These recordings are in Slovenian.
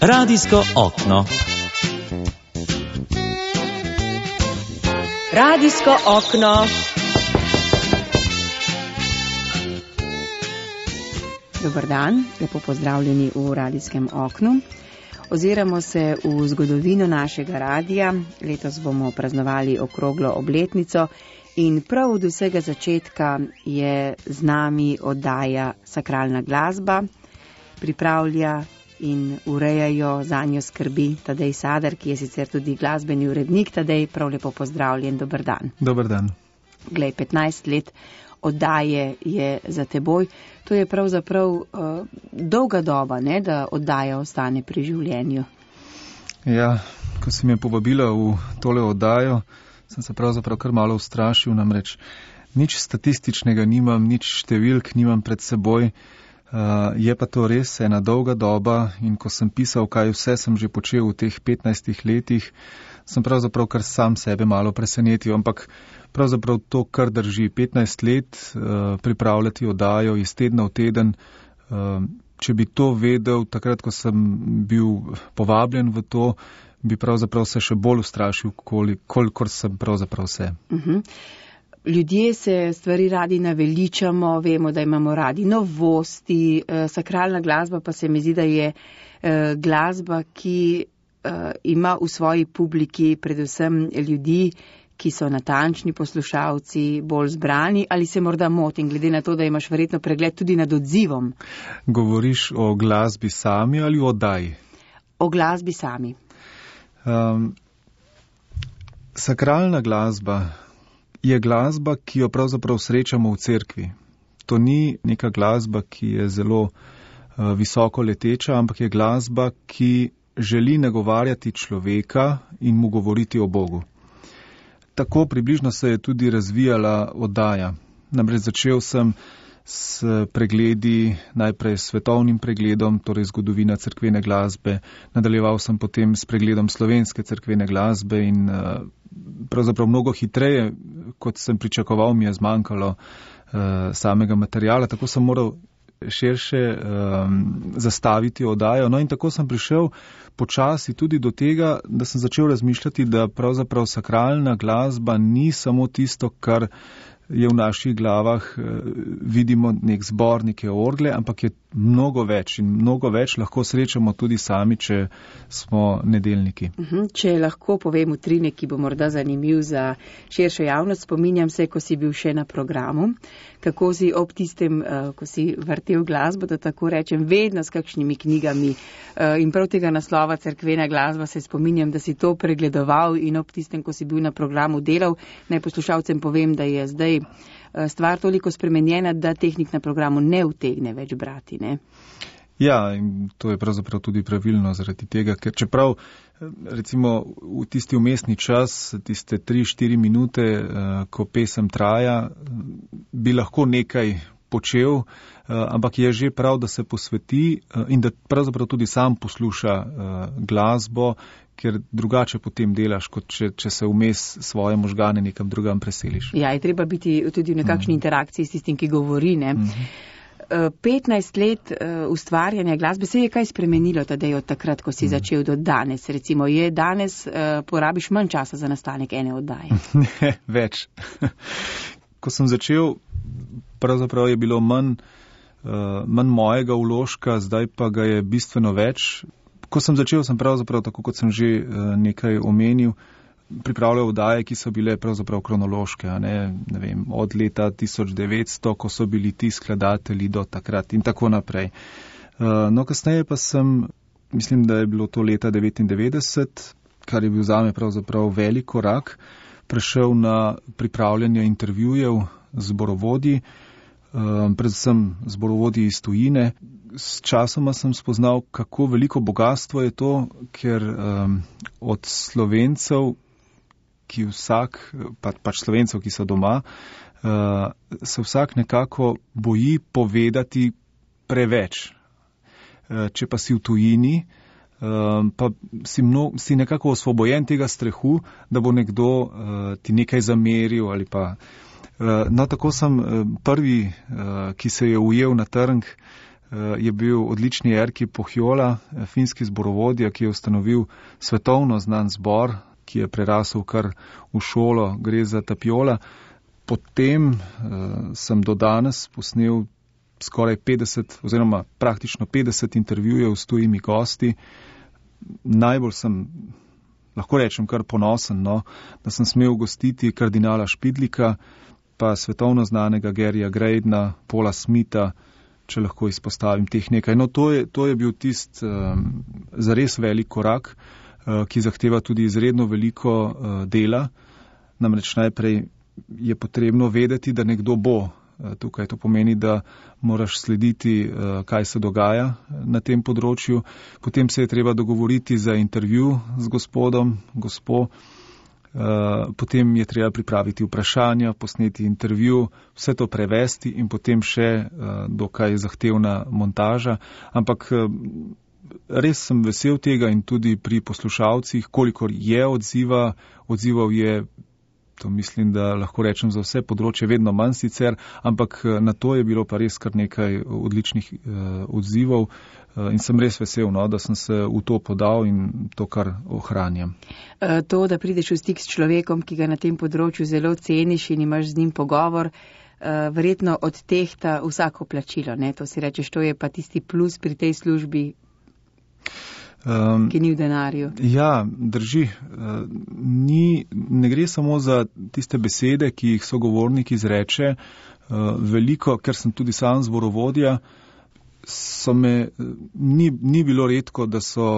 Radijsko okno. Radijsko okno. Dober dan, lepo pozdravljeni v radijskem oknu. Oziramo se v zgodovino našega radija. Letos bomo praznovali okroglo obletnico in prav od vsega začetka je z nami oddaja Sakralna glasba. Pripravlja in urejajo zanjo skrbi Tadej Sadar, ki je sicer tudi glasbeni urednik. Tadej, prav lepo pozdravljen, dober dan. Dober dan. Glej, 15 let oddaje je za teboj. To je pravzaprav dolga doba, ne, da oddaja ostane pri življenju. Ja, ko si me povabila v tole oddajo, sem se pravzaprav kar malo ustrašil, namreč nič statističnega nimam, nič številk nimam pred seboj. Je pa to res ena dolga doba in ko sem pisal, kaj vse sem že počel v teh 15 letih, sem pravzaprav kar sam sebe malo presenetil, ampak pravzaprav to kar drži. 15 let pripravljati oddajo iz tedna v teden. Če bi to vedel takrat, ko sem bil povabljen v to, bi pravzaprav se še bolj ustrašil, kolikor sem pravzaprav se. Ljudje se stvari radi naveličamo, vemo, da imamo radi novosti, sakralna glasba pa se mi zdi, da je glasba, ki ima v svoji publiki predvsem ljudi, ki so natančni poslušalci, bolj zbrani, ali se morda motim, glede na to, da imaš verjetno pregled tudi nad odzivom? Govoriš o glasbi sami ali o oddaji? O glasbi sami. Sakralna glasba je glasba, ki jo pravzaprav srečamo v cerkvi. To ni neka glasba, ki je zelo visoko leteča, ampak je glasba, ki želi nagovarjati človeka in mu govoriti o Bogu. Tako približno se je tudi razvijala oddaja. Namreč začel sem s pregledi, najprej s svetovnim pregledom, torej zgodovina cerkvene glasbe, nadaljeval sem potem s pregledom slovenske cerkvene glasbe in pravzaprav mnogo hitreje, kot sem pričakoval, mi je zmanjkalo samega materiala, tako sem moral širše zastaviti oddajo. No in tako sem prišel počasi tudi do tega, da sem začel razmišljati, da pravzaprav sakralna glasba ni samo tisto, kar je v naših glavah, vidimo nek zbor, neke orgle, ampak je mnogo več in mnogo več lahko srečamo tudi sami, če smo nedeljniki. Če lahko povem utrinek, ki bo morda zanimiv za širšo javnost, spominjam se, ko si bil še na programu, kako si ob tistem, ko si vrtel glasbo, da tako rečem, vedno s kakšnimi knjigami in prav tega naslova cerkvena glasba se spominjam, da si to pregledoval in ob tistem, ko si bil na programu delal. Naj poslušalcem povem, da je zdaj stvar toliko spremenjena, da tehnik na programu ne utegne več brati, ne? Ja, in to je pravzaprav tudi pravilno zaradi tega, ker čeprav recimo v tisti vmesni čas, tiste 3-4 minute, ko pesem traja, bi lahko nekaj počel, ampak je že prav, da se posveti in da pravzaprav tudi sam posluša glasbo, ker drugače potem delaš, kot če se vmes svoje možgane nekam drugam preseliš. Ja, je treba biti tudi v nekakšni interakciji s tistim, ki govori, ne? 15 let ustvarjanja glasbe, se je kaj spremenilo Tadej od takrat, ko si začel do danes? Recimo, je danes porabiš manj časa za nastanek ene oddaje? Ne, več. Ko sem začel, pravzaprav je bilo manj mojega vložka, zdaj pa ga je bistveno več. Ko sem začel, sem pravzaprav, tako kot sem že nekaj omenil, pripravljal oddaje, ki so bile pravzaprav kronološke, ne vem, od leta 1900, ko so bili ti skladatelji do takrat in tako naprej. No, kasneje pa sem, mislim, da je bilo to leta 1999, kar je bil zame pravzaprav velik korak, prešel na pripravljanje intervjujev z zborovodji, predvsem zborovodji iz tujine. S časoma sem spoznal, kako veliko bogatstvo je to, ker od Slovencev, ki pač Slovencev, ki so doma, se vsak nekako boji povedati preveč. Če pa si v tujini, pa si nekako osvobojen tega strahu, da bo nekdo ti nekaj zameril ali pa. No, tako sem prvi, ki se je ujel na trg, je bil odlični Erkki Pohjola, finski zborovodja, ki je ustanovil svetovno znan zbor, ki je prerasel kar v šolo, gre za Tapiola. Potem sem do danes posnel skoraj 50 oziroma praktično 50 intervjujev s tujimi gosti. Najbolj sem, lahko rečem, kar ponosen, da sem smel gostiti kardinala Špidlika, pa svetovno znanega Garyja Graydna, Paula Smitha, če lahko izpostavim teh nekaj. To je bil tist zares velik korak, ki zahteva tudi izredno veliko dela. Namreč najprej je potrebno vedeti, da nekdo bo tukaj. To pomeni, da moraš slediti, kaj se dogaja na tem področju. Potem se je treba dogovoriti za intervju z gospodom, gospo. Potem je treba pripraviti vprašanja, posneti intervju, vse to prevesti in potem še dokaj zahtevna montaža. Ampak res sem vesel tega in tudi pri poslušalcih, kolikor je odzival je, to mislim, da lahko rečem za vse področje, vedno manj sicer, ampak na to je bilo pa res kar nekaj odličnih odzivov in sem res vesel, da sem se v to podal in to kar ohranjam. To, da prideš v stik s človekom, ki ga na tem področju zelo ceniš in imaš z njim pogovor, verjetno odtehta vsako plačilo, ne? To si rečeš, to je pa tisti plus pri tej službi, ki ni v denarju. Ja, drži. Ne gre samo za tiste besede, ki jih sogovornik izreče. Veliko, ker sem tudi sam zborovodja, ni bilo redko, da so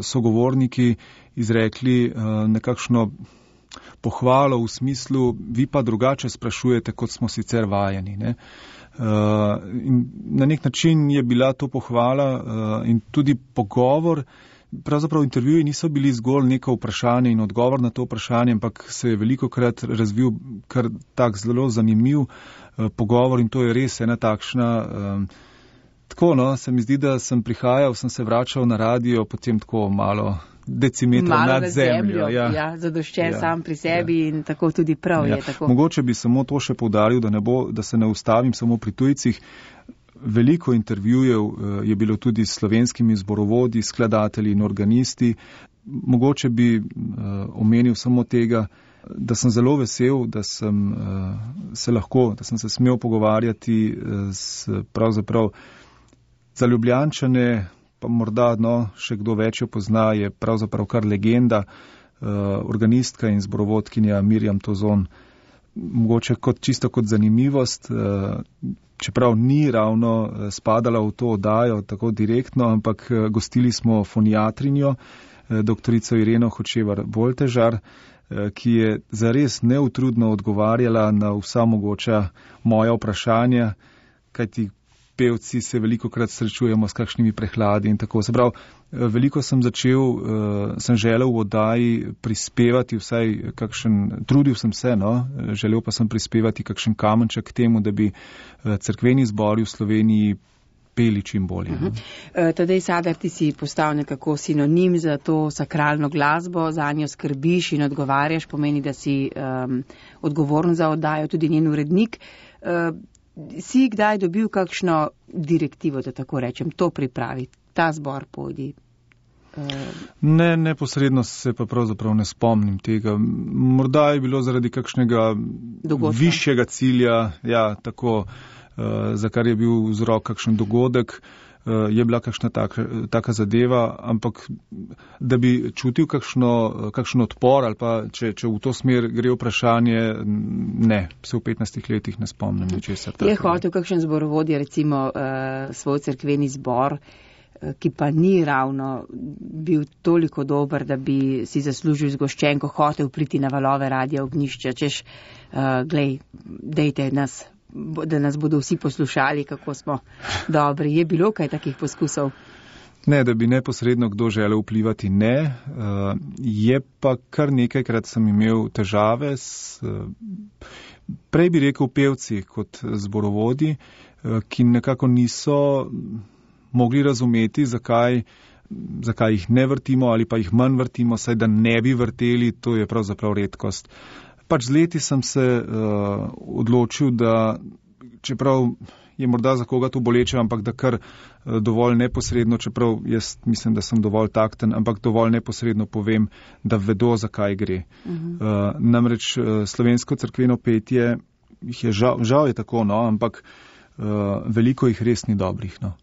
sogovorniki izrekli nekakšno pohvalo v smislu, vi pa drugače sprašujete, kot smo sicer vajeni, ne? In na nek način je bila to pohvala in tudi pogovor. Pravzaprav intervjuji niso bili zgolj neko vprašanje in odgovor na to vprašanje, ampak se je velikokrat razvil kar tak zelo zanimiv pogovor in to je res ena takšna. Tako, se mi zdi, da sem prihajal, sem se vračal na radio, potem tako malo decimetrov nad zemljo. Ja, zadoščen sam pri sebi in tako tudi prav je. Tako. Mogoče bi samo to še poudaril, da se ne ustavim samo pri tujcih. Veliko intervjujev je bilo tudi s slovenskimi zborovodji, skladatelji in organisti. Mogoče bi omenil samo tega, da sem zelo vesel, da sem se smel pogovarjati pravzaprav za Ljubljančane, pa morda še kdo več jo pozna, je pravzaprav kar legenda, organistka in zborovodkinja Mirjam Tozon. Mogoče čisto kot zanimivost, čeprav ni ravno spadala v to oddajo tako direktno, ampak gostili smo foniatrinjo, doktorico Ireno Hočevar-Boltežar, ki je zares neutrudno odgovarjala na vsa mogoča moja vprašanja, kajti pevci se velikokrat srečujemo s kakšnimi prehladi in tako. Se pravi, veliko sem želel v oddaji prispevati vsaj trudil sem se, želel pa sem prispevati kakšen kamenček k temu, da bi cerkveni zbori v Sloveniji peli čim bolje. Tadej Sadar, ti si postal nekako sinonim za to sakralno glasbo, za njo skrbiš in odgovarjaš, pomeni, da si odgovoren za oddajo, tudi njen urednik. Si kdaj dobil kakšno direktivo, da tako rečem, to pripravi, ta zbor pojdi? Ne, neposredno se pa pravzaprav ne spomnim tega. Morda je bilo zaradi kakšnega višjega cilja, tako, za kar je bil vzrok kakšen dogodek, je bila kakšna taka zadeva, ampak da bi čutil kakšen odpor ali pa če v to smer gre vprašanje, ne, se v 15 letih ne spomnim ničesar takega. Je hotel kakšen zborovodja, recimo svoj cerkveni zbor, ki pa ni ravno bil toliko dober, da bi si zaslužil zgoščenko, hotel priti na valove Radia Ognjišče, češ, dejte nas, da nas bodo vsi poslušali, kako smo dobri. Je bilo kaj takih poskusov? Ne, da bi neposredno kdo želel vplivati, ne. Je pa kar nekajkrat sem imel težave prej bi rekel pevci kot zborovodji, ki nekako niso mogli razumeti, zakaj jih ne vrtimo ali pa jih manj vrtimo, saj da ne bi vrteli, to je pravzaprav redkost. Pač z leti sem se odločil, da čeprav je morda za koga to boleče, ampak da kar dovolj neposredno, čeprav jaz mislim, da sem dovolj takten, ampak dovolj neposredno povem, da vedo, zakaj gre. Namreč slovensko cerkveno petje, jih je žal je tako, no, ampak veliko jih res ni dobrih, no.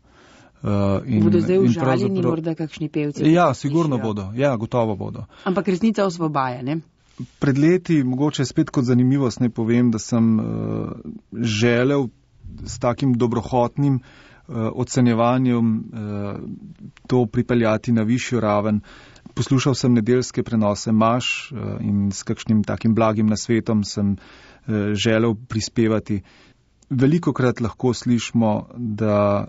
Bodo zdaj užaljeni morda kakšni pevci? Ja, sigurno bodo. Ja, gotovo bodo. Ampak resnica osvobaja, ne? Pred leti, mogoče spet kot zanimivost, ne povem, da sem želel s takim dobrohotnim ocenjevanjem to pripeljati na višjo raven. Poslušal sem nedeljske prenose maš in s kakšnim takim blagim nasvetom sem želel prispevati. Velikokrat lahko slišimo, da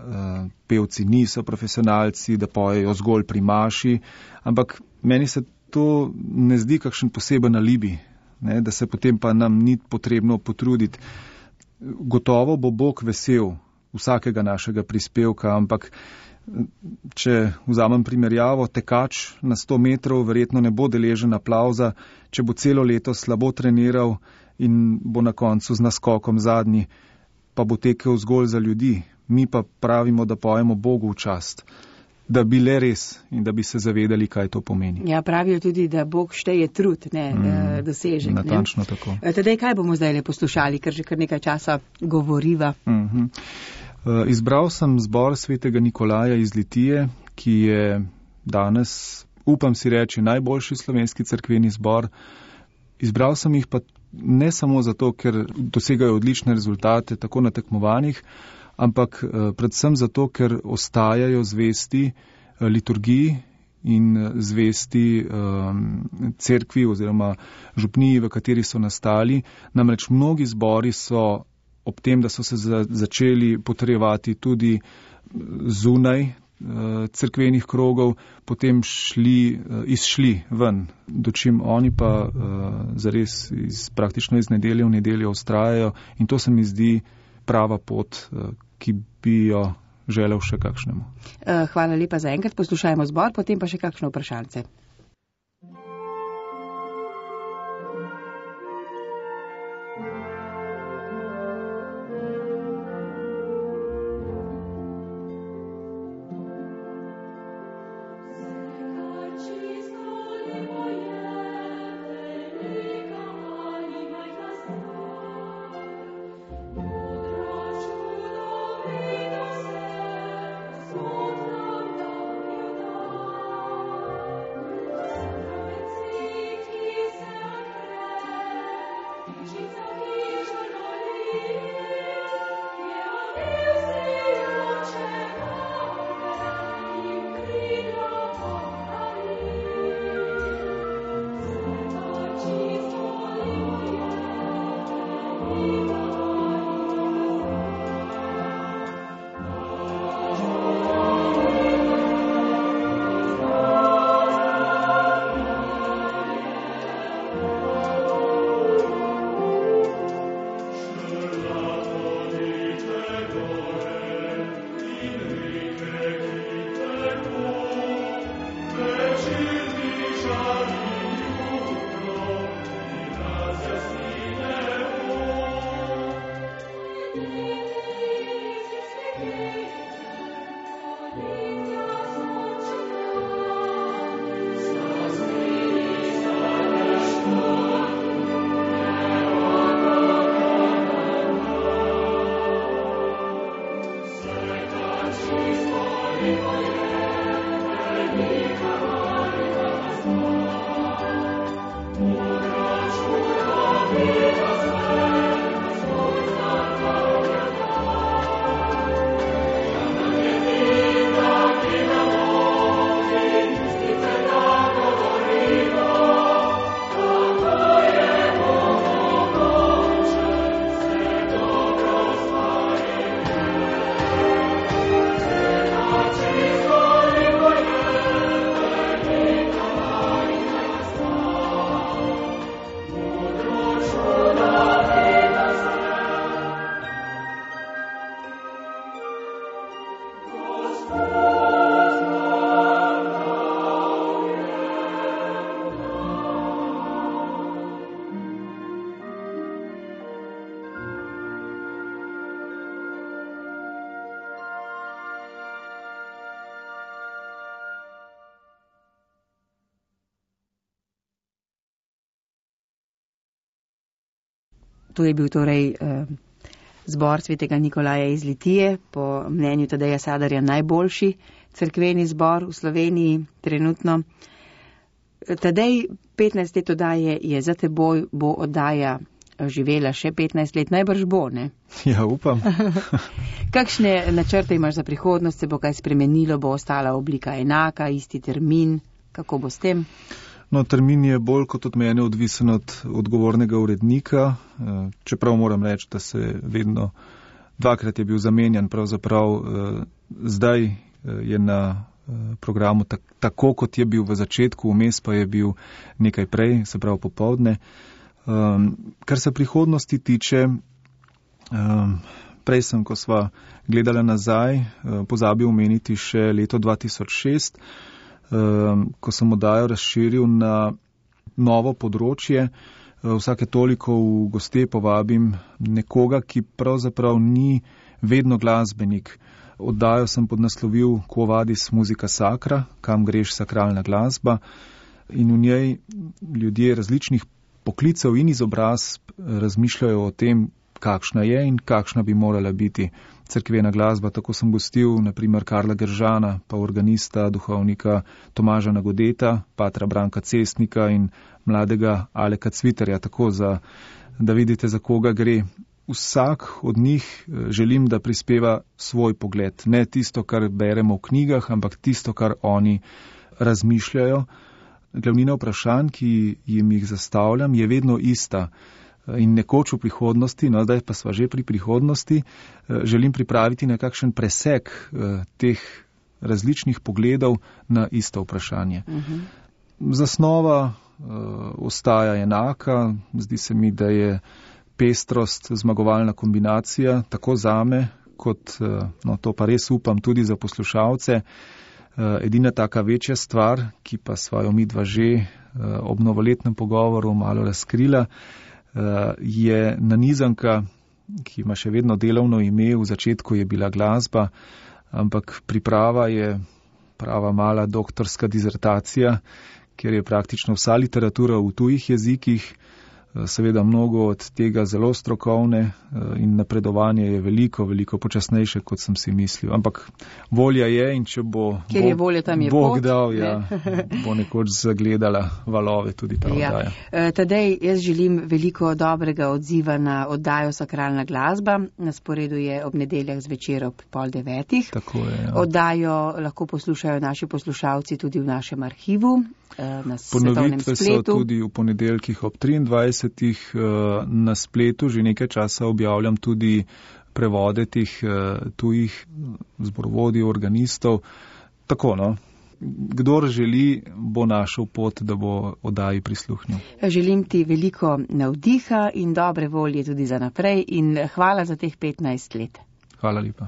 pevci niso profesionalci, da pojejo zgolj pri maši, ampak meni se to ne zdi kakšen poseben alibi, ne, da se potem pa nam ni potrebno potruditi. Gotovo bo Bog vesel vsakega našega prispevka, ampak če vzamem primerjavo, tekač na 100 metrov verjetno ne bo deležen aplavza, če bo celo leto slabo treniral in bo na koncu z naskokom zadnji, pa bo tekel zgolj za ljudi. Mi pa pravimo, da pojemo Bogu v čast, da bi le res in da bi se zavedali, kaj to pomeni. Ja, pravijo tudi, da Bog šteje trud, ne dosežek. Natančno tako. Tedaj, kaj bomo zdaj le poslušali, ker že kar nekaj časa govoriva? Izbral sem zbor svetega Nikolaja iz Litije, ki je danes, upam si reči, najboljši slovenski cerkveni zbor. Izbral sem jih pa ne samo zato, ker dosegajo odlične rezultate tako na tekmovanjih, ampak predvsem zato, ker ostajajo zvesti liturgiji in zvesti cerkvi oziroma župniji, v kateri so nastali. Namreč mnogi zbori so ob tem, da so se začeli potrjevati tudi zunaj cerkvenih krogov, potem izšli ven, dočim oni pa zares praktično iz nedelje v nedeljo vztrajajo in to se mi zdi prava pot, ki bi jo želel še kakšnemu. Hvala lepa za enkrat, poslušajmo zbor, potem pa še kakšno vprašanje. Jesus. To je bil torej zbor svetega Nikolaja iz Litije, po mnenju Tadeja Sadarja najboljši cerkveni zbor v Sloveniji trenutno. Tadej, 15 let oddaje je za teboj, bo oddaja živela še 15 let, najbrž bo, ne? Ja, upam. Kakšne načrte imaš za prihodnost, se bo kaj spremenilo, bo ostala oblika enaka, isti termin, kako bo s tem? No, termin je bolj kot od mene odvisen od odgovornega urednika, čeprav moram reči, da se vedno dvakrat je bil zamenjan, pravzaprav zdaj je na programu tako, kot je bil v začetku, vmes pa je bil nekaj prej, se pravi popoldne. Kar se prihodnosti tiče, prej sem, ko sva gledala nazaj, pozabil omeniti še leto 2006, ko sem oddajo razširil na novo področje. Vsake toliko v goste povabim nekoga, ki pravzaprav ni vedno glasbenik. Oddajo sem podnaslovil Quo vadis musica sacra, kam greš sakralna glasba, in v njej ljudje različnih poklicev in izobrazb razmišljajo o tem, kakšna je in kakšna bi morala biti cerkvena glasba. Tako sem gostil naprimer Karla Geržana, pa organista, duhovnika Tomaža Nagodeta, patra Branka Cestnika in mladega Aleka Cviterja, tako da vidite, za koga gre. Vsak od njih želim, da prispeva svoj pogled. Ne tisto, kar beremo v knjigah, ampak tisto, kar oni razmišljajo. Glavnina vprašanj, ki jim jih zastavljam, je vedno ista. In nekoč v prihodnosti, no zdaj pa sva že pri prihodnosti, želim pripraviti nekakšen presek teh različnih pogledov na isto vprašanje. Zasnova ostaja enaka, zdi se mi, da je pestrost zmagovalna kombinacija, tako zame, kot, no to pa res upam, tudi za poslušalce. Edina taka večja stvar, ki pa sva jo midva že ob novoletnem pogovoru malo razkrila, je nanizanka, ki ima še vedno delovno ime, v začetku je bila glasba, ampak priprava je prava mala doktorska dizertacija, kjer je praktično vsa literatura v tujih jezikih, seveda mnogo od tega zelo strokovne in napredovanje je veliko počasnejše, kot sem si mislil. Ampak volja je in če bo je volja, tam je Bog pot, dal, ja, bo nekoč zagledala valove tudi ta oddaja. Tadej, jaz želim veliko dobrega odziva na oddajo Sakralna glasba. Na sporedu je ob nedeljah zvečer ob 8:30. Tako je, ja. Oddajo lahko poslušajo naši poslušalci tudi v našem arhivu, na svetovnem spletu. Ponovitve so tudi v ponedeljkih ob 23. Na spletu že nekaj časa objavljam tudi prevode teh tujih zborovodij, organistov. Tako, no. Kdor želi, bo našel pot, da bo oddaji prisluhnil. Želim ti veliko navdiha in dobre volje tudi za naprej in hvala za teh 15 let. Hvala lepa.